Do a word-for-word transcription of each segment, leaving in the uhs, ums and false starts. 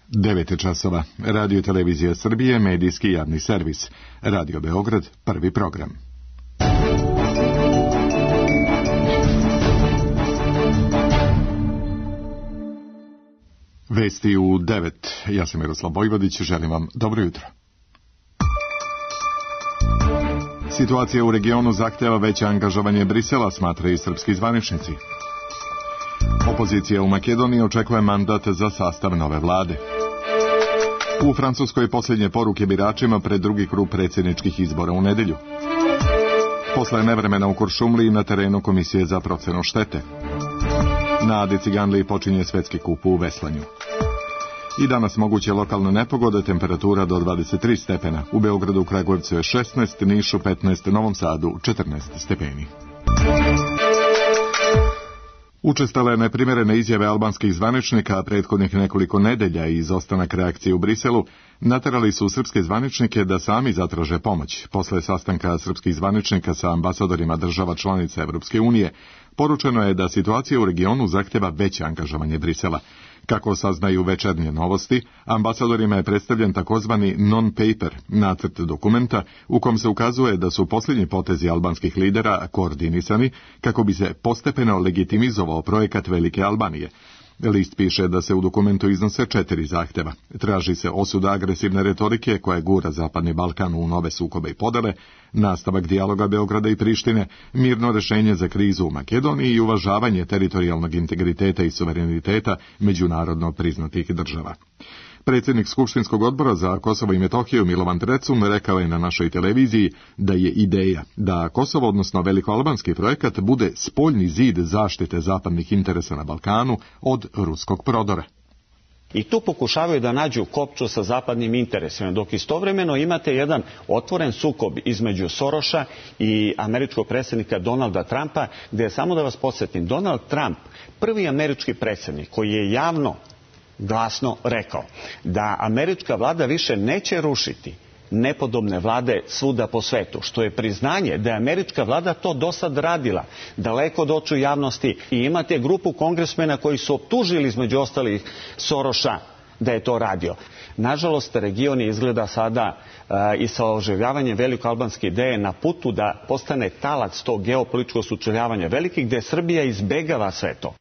devet je časova. Radio Televizija Srbije, medijski javni servis. Radio Beograd, prvi program. Vesti u devet. Ja sam Miroslav Vojvodić, želim vam dobro jutro. Situacija u regionu zahteva veće angažovanje Brisela, smatraju i srpski zvaničnici. Opozicija u Makedoniji očekuje mandat za sastav nove vlade. U Francuskoj posljednje poruke biračima pred drugi krug predsjedničkih izbora u nedjelju. Posle nevremena u Kuršumliji na terenu Komisije za procenu štete. Na Adi Ciganliji počinje svetski kup u veslanju. I danas moguće lokalne nepogode, temperatura do dvadeset tri stepena. U Beogradu, Kragujevcu je šesnaest, Nišu petnaest, Novom Sadu četrnaest stepeni. Učestale neprimjerene izjave albanskih zvaničnika prethodnih nekoliko nedelja i izostanak reakcije u Briselu naterali su srpske zvaničnike da sami zatraže pomoć. Posle sastanka srpskih zvaničnika sa ambasadorima država članica Evropske unije, poručeno je da situacija u regionu zahteva veće angažovanje Brisela. Kako saznaju Večernje novosti, ambasadorima je predstavljen takozvani non-paper, nacrt dokumenta, u kom se ukazuje da su posljednji potezi albanskih lidera koordinisani kako bi se postepeno legitimizovao projekat Velike Albanije. List piše da se u dokumentu iznose četiri zahtjeva. Traži se osuda agresivne retorike koja gura Zapadni Balkan u nove sukobe i podele, nastavak dijaloga Beograda i Prištine, mirno rješenje za krizu u Makedoniji i uvažavanje teritorijalnog integriteta i suvereniteta međunarodno priznatih država. Predsjednik Skupštinskog odbora za Kosovo i Metohiju Milovan Trecun rekao je na našoj televiziji da je ideja da Kosovo, odnosno velikoalbanski projekat, bude spoljni zid zaštite zapadnih interesa na Balkanu od ruskog prodora. I tu pokušavaju da nađu kopču sa zapadnim interesima, dok istovremeno imate jedan otvoren sukob između Soroša i američkog predsjednika Donalda Trumpa, gdje je, samo da vas podsjetim, Donald Trump, prvi američki predsjednik koji je javno glasno rekao da američka vlada više neće rušiti nepodobne vlade svuda po svetu, što je priznanje da je američka vlada to dosad radila, daleko od očiju javnosti, i imate grupu kongresmena koji su optužili između ostalih Soroša da je to radio. Nažalost, region je izgleda sada uh, i sa oživljavanjem velikoalbanske ideje na putu da postane talac tog geopolitičkog sučeljavanja velikih, gdje Srbija izbegava sve to.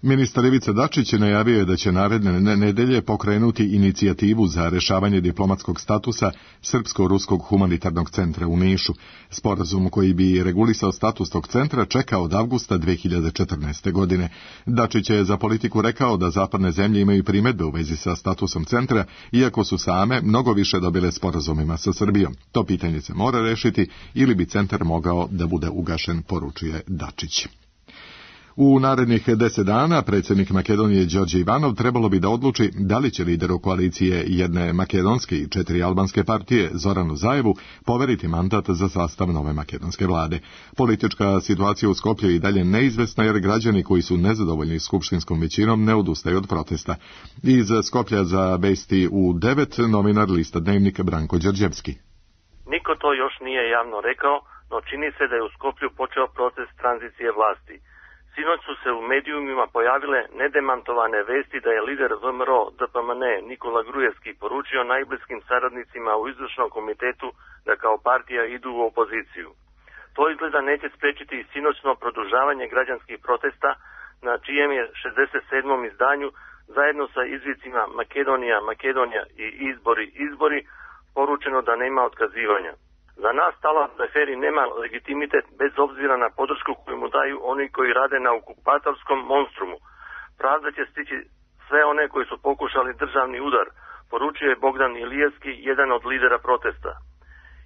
Ministar Ivica Dačić najavio je da će naredne nedelje pokrenuti inicijativu za rješavanje diplomatskog statusa Srpsko-ruskog humanitarnog centra u Nišu. Sporazum koji bi regulisao status tog centra čeka od avgusta dve hiljade četrnaeste. godine. Dačić je za Politiku rekao da zapadne zemlje imaju primjedbe u vezi sa statusom centra, iako su same mnogo više dobile sporazumima sa Srbijom. To pitanje se mora rešiti ili bi centar mogao da bude ugašen, poručuje Dačić. U narednih deset dana predsjednik Makedonije Đorđe Ivanov trebalo bi da odluči da li će lideru koalicije jedne makedonske i četiri albanske partije Zoranu Zajevu poveriti mandat za sastav nove makedonske vlade. Politička situacija u Skoplju je i dalje neizvesna jer građani koji su nezadovoljni skupštinskom većinom ne odustaju od protesta. Iz Skoplja za vesti u devet novinar lista Dnevnik Branko Đorđevski. Niko to još nije javno rekao, no čini se da je u Skoplju počeo proces tranzicije vlasti. Sinoć su se u medijumima pojavile nedemantovane vesti da je lider V M R O D P M N Nikola Grujevski poručio najbliskim saradnicima u izvršnom komitetu da kao partija idu u opoziciju. To izgleda neće spriječiti i sinoćno produžavanje građanskih protesta na čijem je šezdeset sedmom izdanju zajedno sa izvicima Makedonija, Makedonija i izbori, izbori poručeno da nema otkazivanja. Za nas Talat Xaferi nema legitimitet bez obzira na podršku koju mu daju oni koji rade na okupatorskom monstrumu. Pravda će stići sve one koji su pokušali državni udar, poručio je Bogdan Ilijevski, jedan od lidera protesta.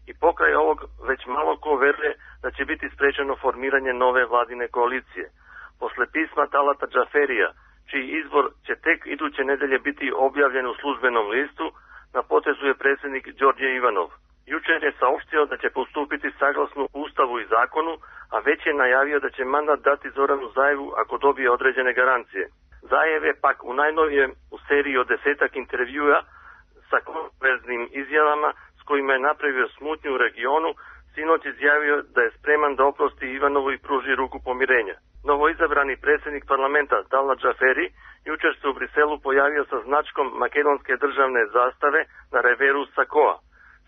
I pokraj ovog već malo ko veruje da će biti sprečeno formiranje nove vladine koalicije. Posle pisma Talata Xaferija, čiji izbor će tek iduće nedelje biti objavljen u službenom listu, na potezu je predsjednik Đorđe Ivanov. Jučer je saopštio da će postupiti saglasno Ustavu i zakonu, a već je najavio da će mandat dati Zoranu Zajevu ako dobije određene garancije. Zajev je pak u najnovijem u seriji od desetak intervjua sa kontroverznim izjavama s kojima je napravio smutnju u regionu, sinoć izjavio da je spreman da oprosti Ivanovu i pruži ruku pomirenja. Novoizabrani predsjednik parlamenta Dalal Džaferi jučer se u Briselu pojavio sa značkom makedonske državne zastave na reveru sakoa,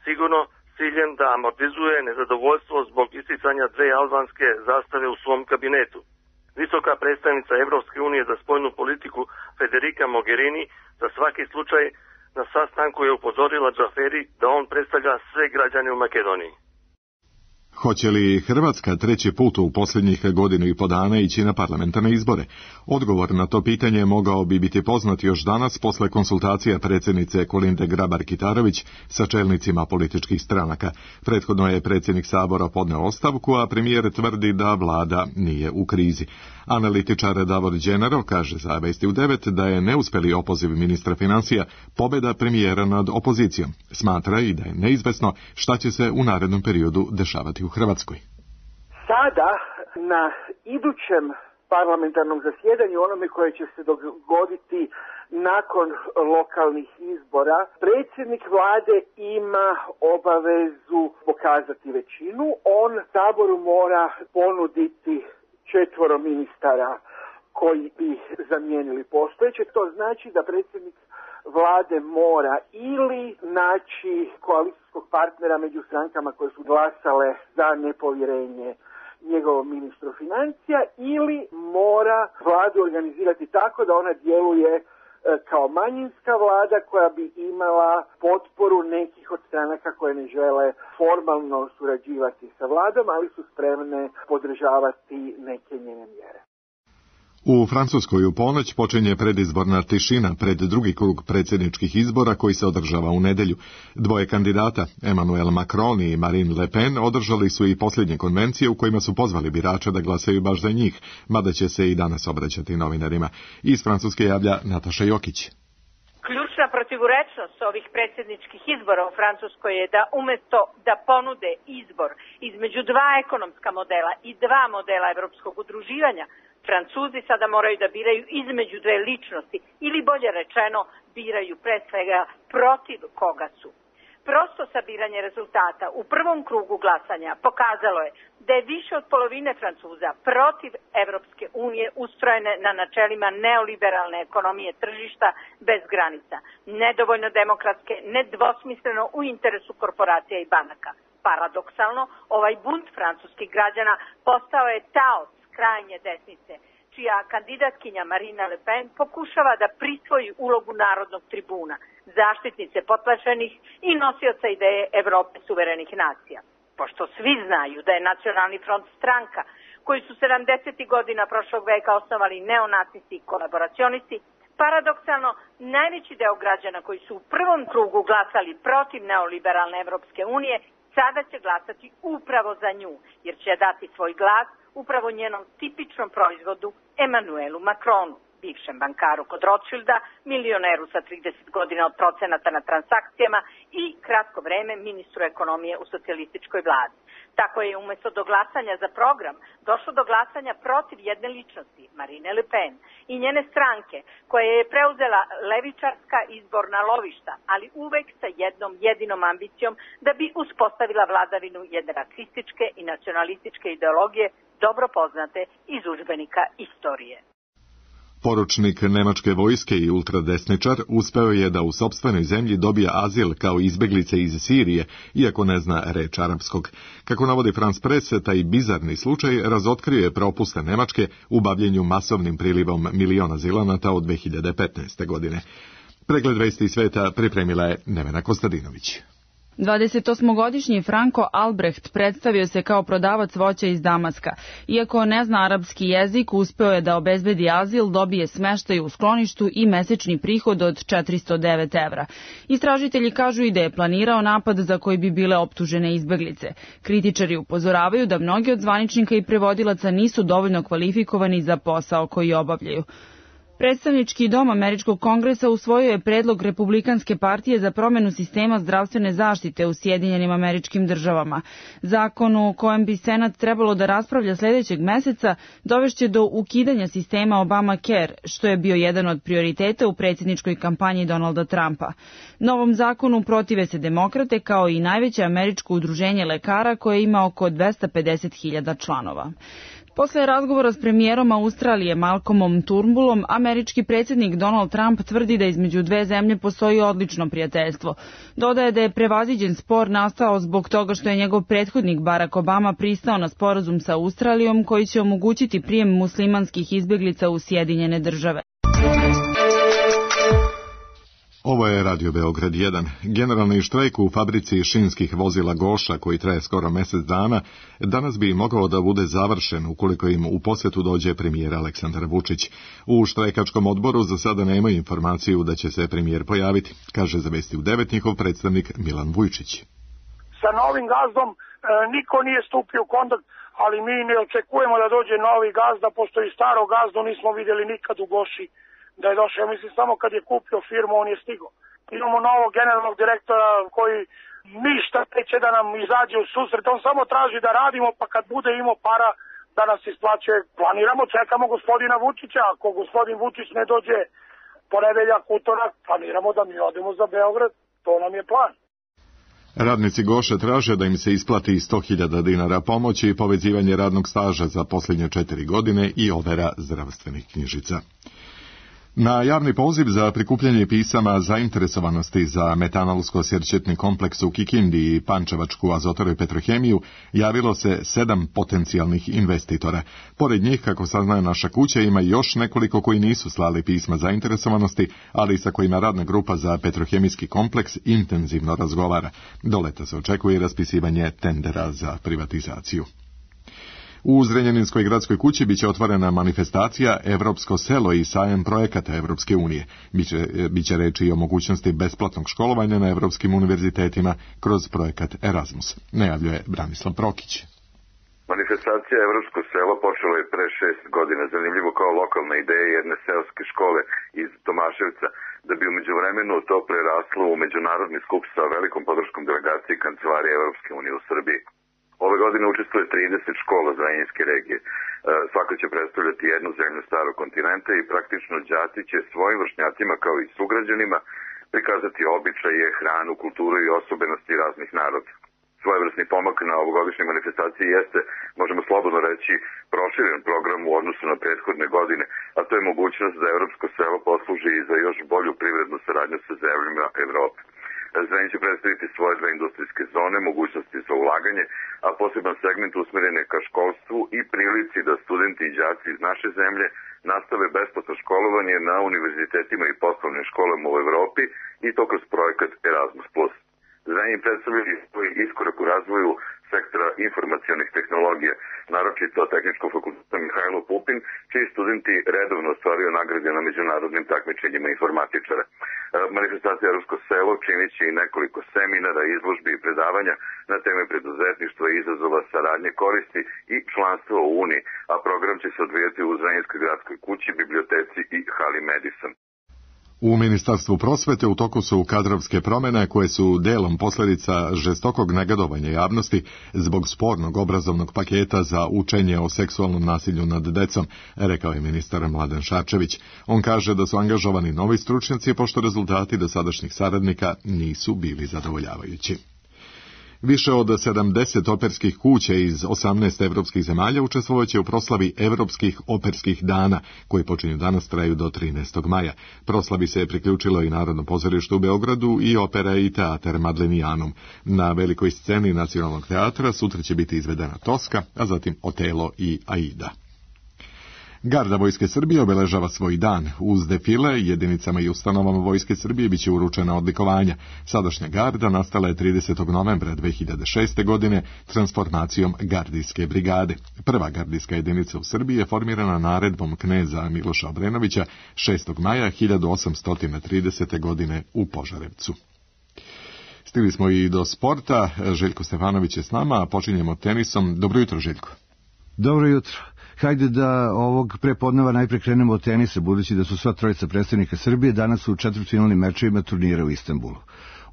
sigurno s ciljem da amortizuje nezadovoljstvo zbog isticanja dve albanske zastave u svom kabinetu. Visoka predstavnica Evropske unije za spoljnu politiku Federica Mogherini za svaki slučaj na sastanku je upozorila Džaferi da on predstavlja sve građane u Makedoniji. Hoće li Hrvatska treći put u posljednjih godinu i po dana ići na parlamentarne izbore? Odgovor na to pitanje mogao bi biti poznat još danas posle konsultacija predsjednice Kolinde Grabar-Kitarović sa čelnicima političkih stranaka. Prethodno je predsjednik Sabora podneo ostavku, a premijer tvrdi da vlada nije u krizi. Analitičar Davor Đenaro kaže za Vesti u devet da je neuspeli opoziv ministra financija pobjeda premijera nad opozicijom. Smatra i da je neizvesno šta će se u narednom periodu dešavati u Hrvatskoj. Sada, na idućem parlamentarnom zasjedanju, onome koje će se dogoditi nakon lokalnih izbora, predsjednik vlade ima obavezu pokazati većinu. On Saboru mora ponuditi četvoro ministara koji bi zamijenili postojeće. To znači da predsjednik vlade mora ili naći koalicijskog partnera među strankama koje su glasale za nepovjerenje njegovom ministru financija, ili mora vladu organizirati tako da ona djeluje kao manjinska vlada koja bi imala potporu nekih od stranaka koje ne žele formalno surađivati sa vladom, ali su spremne podržavati neke njene mjere. U Francuskoj u ponoć počinje predizborna tišina pred drugi krug predsjedničkih izbora koji se održava u nedjelju. Dvoje kandidata, Emmanuel Macron i Marine Le Pen, održali su i posljednje konvencije u kojima su pozvali birače da glasaju baš za njih, mada će se i danas obraćati novinarima. Iz Francuske javlja Nataša Jokić. Ključna protivurečnost ovih predsjedničkih izbora u Francuskoj je da umjesto da ponude izbor između dva ekonomska modela i dva modela evropskog udruživanja, Francuzi sada moraju da biraju između dve ličnosti ili bolje rečeno biraju pre svega protiv koga su. Prosto sabiranje rezultata u prvom krugu glasanja pokazalo je da je više od polovine Francuza protiv Evropske unije ustrojene na načelima neoliberalne ekonomije tržišta bez granica, nedovoljno demokratske, nedvosmisleno u interesu korporacija i banaka. Paradoksalno, ovaj bunt francuskih građana postao je taoc krajnje desnice, čija kandidatkinja Marine Le Pen pokušava da prisvoji ulogu narodnog tribuna, zaštitnice potlačenih i nosioca ideje Evrope suverenih nacija. Pošto svi znaju da je Nacionalni front stranka koji su sedamdesetih godina prošlog veka osnovali neonacisti i kolaboracionisti, paradoksalno najveći deo građana koji su u prvom krugu glasali protiv neoliberalne Evropske unije sada će glasati upravo za nju, jer će dati svoj glas upravo njenom tipičnom proizvodu Emmanuelu Macronu, bivšem bankaru kod Rothschilda, milioneru sa trideset godina od procenata na transakcijama i kratko vreme ministru ekonomije u socijalističkoj vladi. Tako je umjesto do glasanja za program došlo do glasanja protiv jedne ličnosti, Marine Le Pen, i njene stranke, koja je preuzela levičarska izborna lovišta, ali uvek sa jednom jedinom ambicijom da bi uspostavila vladavinu jedne rasističke i nacionalističke ideologije dobro poznate iz udžbenika istorije. Poručnik nemačke vojske i ultradesničar uspeo je da u sopstvenoj zemlji dobije azil kao izbeglice iz Sirije, iako ne zna reč arapskog. Kako navodi France Press, taj bizarni slučaj razotkrio je propuste Nemačke u bavljenju masovnim prilivom miliona azilanata od dve hiljade petnaeste. godine. Pregled vesti sveta pripremila je Nevena Kostadinović. dvadesetosmogodišnji Franko Albrecht predstavio se kao prodavac voća iz Damaska. Iako ne zna arapski jezik, uspeo je da obezbedi azil, dobije smeštaj u skloništu i mesečni prihod od četiristo devet evra. Istražitelji kažu i da je planirao napad za koji bi bile optužene izbeglice. Kritičari upozoravaju da mnogi od zvaničnika i prevodilaca nisu dovoljno kvalifikovani za posao koji obavljaju. Predstavnički dom Američkog kongresa usvojio je predlog Republikanske partije za promjenu sistema zdravstvene zaštite u Sjedinjenim Američkim Državama. Zakon u kojem bi Senat trebalo da raspravlja sljedećeg meseca dovešće do ukidanja sistema Obamacare, što je bio jedan od prioriteta u predsjedničkoj kampanji Donalda Trumpa. Novom zakonu protive se demokrate kao i najveće američko udruženje lekara koje ima oko dvesta pedeset hiljada članova. Posle razgovora s premijerom Australije Malcolmom Turnbullom, američki predsjednik Donald Trump tvrdi da između dve zemlje postoji odlično prijateljstvo. Dodaje da je prevaziđen spor nastao zbog toga što je njegov prethodnik Barack Obama pristao na sporazum sa Australijom koji će omogućiti prijem muslimanskih izbjeglica u Sjedinjene države. Ovo je Radio Beograd jedan. Generalni štrajk u fabrici šinskih vozila Goša, koji traje skoro mjesec dana, danas bi mogao da bude završen ukoliko im u posjetu dođe premijer Aleksandar Vučić. U štrajkačkom odboru za sada nemaju informaciju da će se premijer pojaviti, kaže za Vesti u devet njihov predstavnik Milan Vujčić. Sa novim gazdom e, niko nije stupio u kontakt, ali mi ne očekujemo da dođe novi gazda, pošto i staro gazdu nismo vidjeli nikad u Goši da je došao. Mislim, samo kad je kupio firmu, on je stigao. Imamo novog generalnog direktora koji ništa neće da nam izađe u susret. On samo traži da radimo, pa kad bude imao para da nas isplaćuje. Planiramo, čekamo gospodina Vučića. Ako gospodin Vučić ne dođe ponedeljak, utorak, planiramo da mi odemo za Beograd. To nam je plan. Radnici Goše traže da im se isplati sto hiljada dinara pomoći i povezivanje radnog staža za posljednje četiri godine i overa zdravstvenih knjižica. Na javni poziv za prikupljanje pisama zainteresovanosti za metanolsko-sjerčetni kompleks u Kikindi i Pančevačku azotaru i petrohemiju javilo se sedam potencijalnih investitora. Pored njih, kako saznaje naša kuća, ima još nekoliko koji nisu slali pisma zainteresovanosti, ali sa kojima radna grupa za petrohemijski kompleks intenzivno razgovara. Do leta se očekuje raspisivanje tendera za privatizaciju. U Zrenjaninskoj gradskoj kući biće otvorena manifestacija Evropsko selo i sajam projekata Evropske unije. Biće, biće reči i o mogućnosti besplatnog školovanja na evropskim univerzitetima kroz projekat Erasmus, najavljuje Branislav Prokić. Manifestacija Evropsko selo počela je pre šest godina, zanimljivo kao lokalna ideja jedne seoske škole iz Tomaševca, da bi u međuvremenu to preraslo u međunarodni skup sa velikom podrškom delegacije Kancelarije Evropske unije u Srbiji. Ove godine učestvuje trideset škola Zrenjaninske regije. Svaka će predstavljati jednu zemlju starog kontinenta i praktično đaci će svojim vršnjacima kao i sugrađanima prikazati običaje, hranu, kulturu i osobenosti raznih naroda. Svojevrsni pomak na ovogodišnjoj manifestaciji jeste, možemo slobodno reći, proširen program u odnosu na prethodne godine, a to je mogućnost da Evropsko selo posluži i za još bolju privrednu saradnju sa zemljama Evrope. Zrenjanin će predstaviti svoje dve industrijske zone, mogućnosti za ulaganje, a poseban segment usmjeren je ka školstvu i prilici da studenti i đaci iz naše zemlje nastave besplatno školovanje na univerzitetima i poslovnim školama u Evropi i to kroz projekat Erasmus plus. Zrenjanin predstavlja svoj iskorak u razvoju sektora informacionih tehnologija, naročito Tehničkog fakulteta Mihajlo Pupin, čiji studenti redovno ostvaruju nagrade na međunarodnim takmičenjima informatičara. Manifestacija Evropsko selo činit će i nekoliko seminara, izložbi i predavanja na teme preduzetništva, izazova, saradnje, koristi i članstva u Uniji, a program će se odvijati u Zrenjaninskoj gradskoj kući, biblioteci i hali Madison. U Ministarstvu prosvete u toku su kadrovske promjene koje su delom posljedica žestokog negodovanja javnosti zbog spornog obrazovnog paketa za učenje o seksualnom nasilju nad decom, rekao je ministar Mladen Šarčević. On kaže da su angažovani novi stručnjaci pošto rezultati dosadašnjih saradnika nisu bili zadovoljavajući. Više od sedamdeset operskih kuća iz osamnaest evropskih zemalja učestvovaće u proslavi Evropskih operskih dana, koji počinju danas, traju do trinaestog maja. Proslavi se je priključilo i Narodno pozorište u Beogradu i opera i teatar Madlenijanum. Na velikoj sceni Nacionalnog teatra sutra će biti izvedena Toska, a zatim Otelo i Aida. Garda Vojske Srbije obeležava svoj dan. Uz defile jedinicama i ustanovama Vojske Srbije biće uručena odlikovanja. Sadašnja garda nastala je tridesetog novembra dve hiljade šeste. godine transformacijom gardijske brigade. Prva gardijska jedinica u Srbiji je formirana naredbom kneza Miloša Obrenovića šestog maja hiljadu osamsto tridesete. godine u Požarevcu. Stigli smo i do sporta. Željko Stefanović je s nama, a počinjemo tenisom. Dobro jutro, Željko. Dobro jutro. Hajde da ovog prepodneva najpre krenemo od tenisa, budući da su sva trojica predstavnika Srbije danas u četvrtfinalnim mečevima turnira u Istanbulu.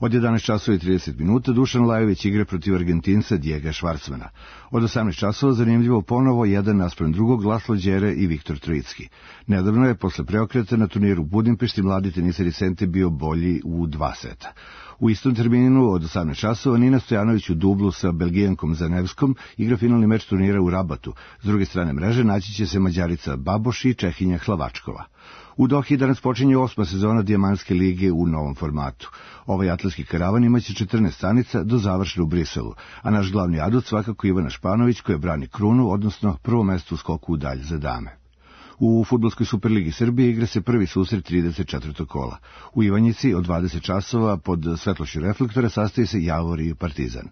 Od jedanaest časova i trideset minuta Dušan Lajović igra protiv Argentinca Dijega Švarcmana. Od osamnaest časova zanimljivo ponovo jedan naspram drugog Laslo Đere i Viktor Trojicki. Nedavno je posle preokreta na turniru u Budimpešti mladi teniser iz Sente bio bolji u dva seta. U istom terminu od osamnaest časova Nina Stojanović u dublu sa Belgijankom Zanevskom igra finalni meč turnira u Rabatu. S druge strane mreže naći će se Mađarica Baboš i Čehinja Hlavačkova. U Dohi danas počinje osma sezona Dijamantske lige u novom formatu. Ovaj atletski karavan imaće četrnaest stanica do završne u Briselu, a naš glavni adut svakako Ivana Španović koja brani krunu, odnosno prvo mesto u skoku u dalj za dame. U Fudbalskoj superligi Srbije igra se prvi susret trideset četvrtog kola. U Ivanjici od dvadeset časova pod svetlošću reflektora sastaje se Javor i Partizan.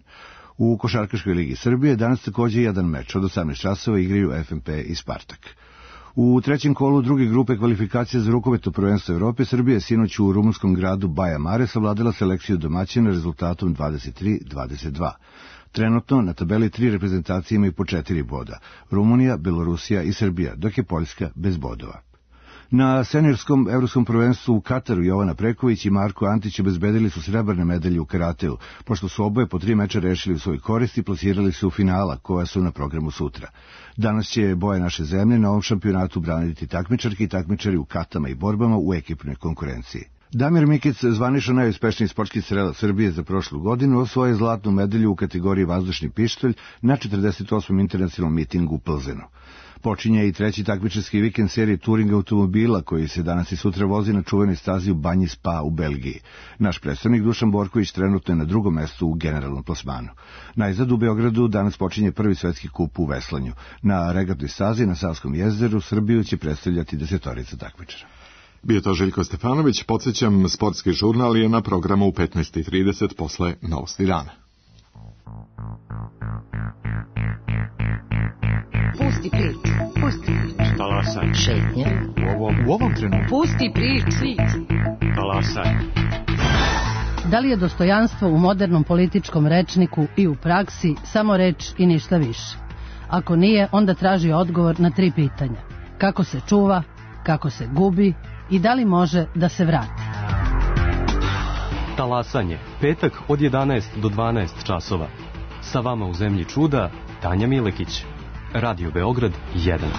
U Košarkaškoj ligi Srbije danas takođe jedan meč, od osamnaest časova igraju F M P i Spartak. U trećem kolu druge grupe kvalifikacija za rukometno prvenstvo Evrope Srbija je sinoć u rumunskom gradu Baja Mare savladala selekciju domaćina rezultatom dvadeset tri dvadeset dva. Trenutno na tabeli tri reprezentacije imaju po četiri boda, Rumunija, Belorusija i Srbija, dok je Poljska bez bodova. Na seniorskom evropskom prvenstvu u Kataru Jovana Preković i Marko Antić obezbedili su srebrne medalje u karateu, pošto su oboje po tri meča rešili u svoj korist i plasirali se u finala, koja su na programu sutra. Danas će boje naše zemlje na ovom šampionatu braniti takmičarki i takmičari u katama i borbama u ekipnoj konkurenciji. Damir Mikic, zvanično najuspešniji sportski strelac Srbije za prošlu godinu, osvojio zlatnu medalju u kategoriji vazdušni pištolj na četrdeset osmom internacionalnom mitingu u Plzenu. Počinje i treći takmičarski vikend serije Touring automobila koji se danas i sutra vozi na čuvenoj stazi u Banji Spa u Belgiji. Naš predstavnik Dušan Borković trenutno je na drugom mestu u generalnom plasmanu. Najzad u Beogradu danas počinje prvi svetski kup u veslanju. Na regatnoj stazi na Savskom jezeru Srbiju će predstavljati desetorica takmičara. Bio to Željko Stefanović, podsjećam, sportski žurnal je na programu u petnaest i trideset posle Novosti dana. Pusti priču, pusti priču. Talasaj. Šetnje. U ovom, u ovom trenutku. Pusti priču. Talasaj. Da li je dostojanstvo u modernom političkom rečniku i u praksi samo reč i ništa više? Ako nije, onda traži odgovor na tri pitanja. Kako se čuva, kako se gubi i da li može da se vrati? Talasanje, petak od jedanaest do dvanaest časova. Sa vama u zemlji čuda, Tanja Milekić. Radio Beograd jedan.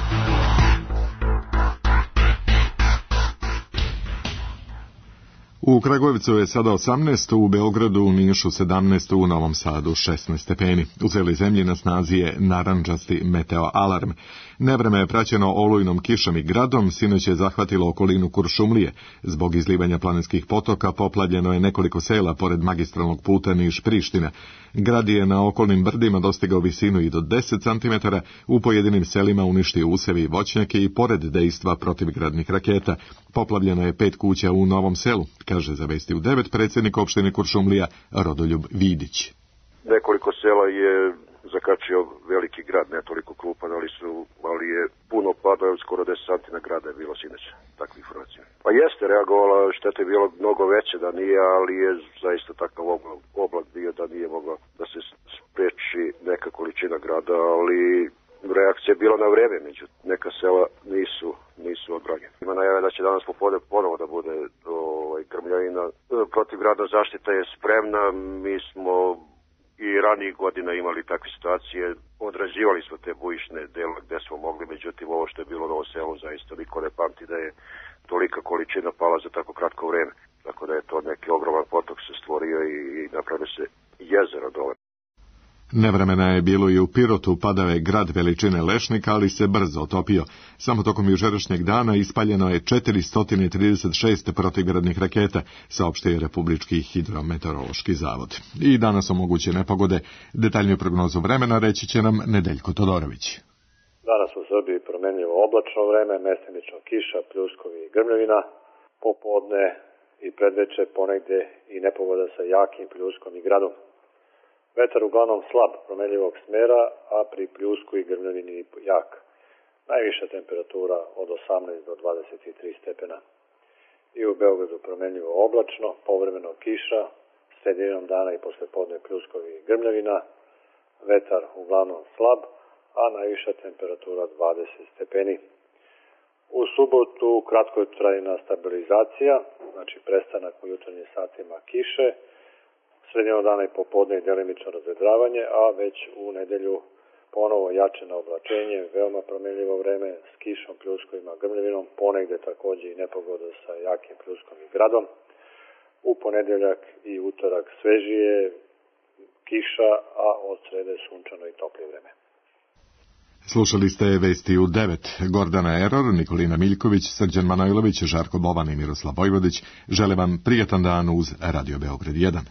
U Kragujevcu je sada osamnaest, u Beogradu, u Nišu sedamnaest, u Novom Sadu šesnaest stepeni. U celoj zemlji na snazi je narandžasti meteo alarm. Nevreme je praćeno olujnom kišom i gradom, sinoć je zahvatilo okolinu Kuršumlije. Zbog izlivanja planinskih potoka poplavljeno je nekoliko sela pored magistralnog puta Niš-Priština. Grad je na okolnim brdima dostigao visinu i do deset centimetara, u pojedinim selima uništio usevi i voćnjake i pored dejstva protivgradnih raketa. Poplavljeno je pet kuća u Novom Selu, kaže za Vesti u devet predsjednik opštine Kuršumlija Rodoljub Vidić. Nekoliko sela je zakačio veliki grad, ne toliko krupan, ali, su, ali je puno padao, skoro deset santina grada je bilo sinoć, takve informacije. Pa jeste reagovala, šteta je bilo mnogo veće da nije, ali je zaista takav oblak bio da nije mogla da se spreči neka količina grada, ali reakcija je bila na vreme, međutim, neka sela nisu, nisu odbranjena. Ima najave da će danas popodne ponovo da bude ovaj, grmljavina. Protivgradna zaštita je spremna, mi smo i ranijih godina imali takve situacije, odrađivali smo te bujišne dela gde smo mogli, međutim ovo što je bilo na Novom Selu zaista niko ne pamti da je tolika količina pala za tako kratko vreme. Tako da je to neki ogroman potok se stvorio i, i napravio se jezero dole. Nevremena je bilo i u Pirotu, padao je grad veličine lešnika, ali se brzo otopio. Samo tokom jučerašnjeg dana ispaljeno je četiristo trideset šest protivgradnih raketa, saopštio je Republički hidrometeorološki zavod. I danas su moguće nepogode. Detaljniju prognozu vremena reći će nam Nedeljko Todorović. Danas u Srbiji promenljivo oblačno vreme, mestimično kiša, pljuskovi i grmljavina, popodne i predveče ponegde i nepogoda sa jakim pljuskom i gradom. Vetar uglavnom slab promenljivog smera, a pri pljusku i grmljavini jak. Najviša temperatura od osamnaest do dvadeset tri stepena. I u Beogradu promenljivo oblačno, povremeno kiša, sredinom dana i poslepodne pljuskovi i grmljavina, vetar uglavnom slab, a najviša temperatura dvadeset stepeni. U subotu kratkotrajna stabilizacija, znači prestanak u jutarnjim satima kiše, sredinom dana i popodne i delimično razvedravanje, a već u nedelju ponovo jače na oblačenje, veoma promenljivo vreme s kišom, pljuskovima, grmljevinom, ponegde takođe i nepogoda sa jakim pljuskom i gradom. U ponedeljak i utorak svežije, kiša, a od srede sunčano i toplije vreme. Slušali ste vesti u devet. Gordana Eror, Nikolina Miljković, Srđan Manojlović, Žarko Bovan i Miroslav Vojvodić žele vam prijatan dan uz Radio Beograd jedan.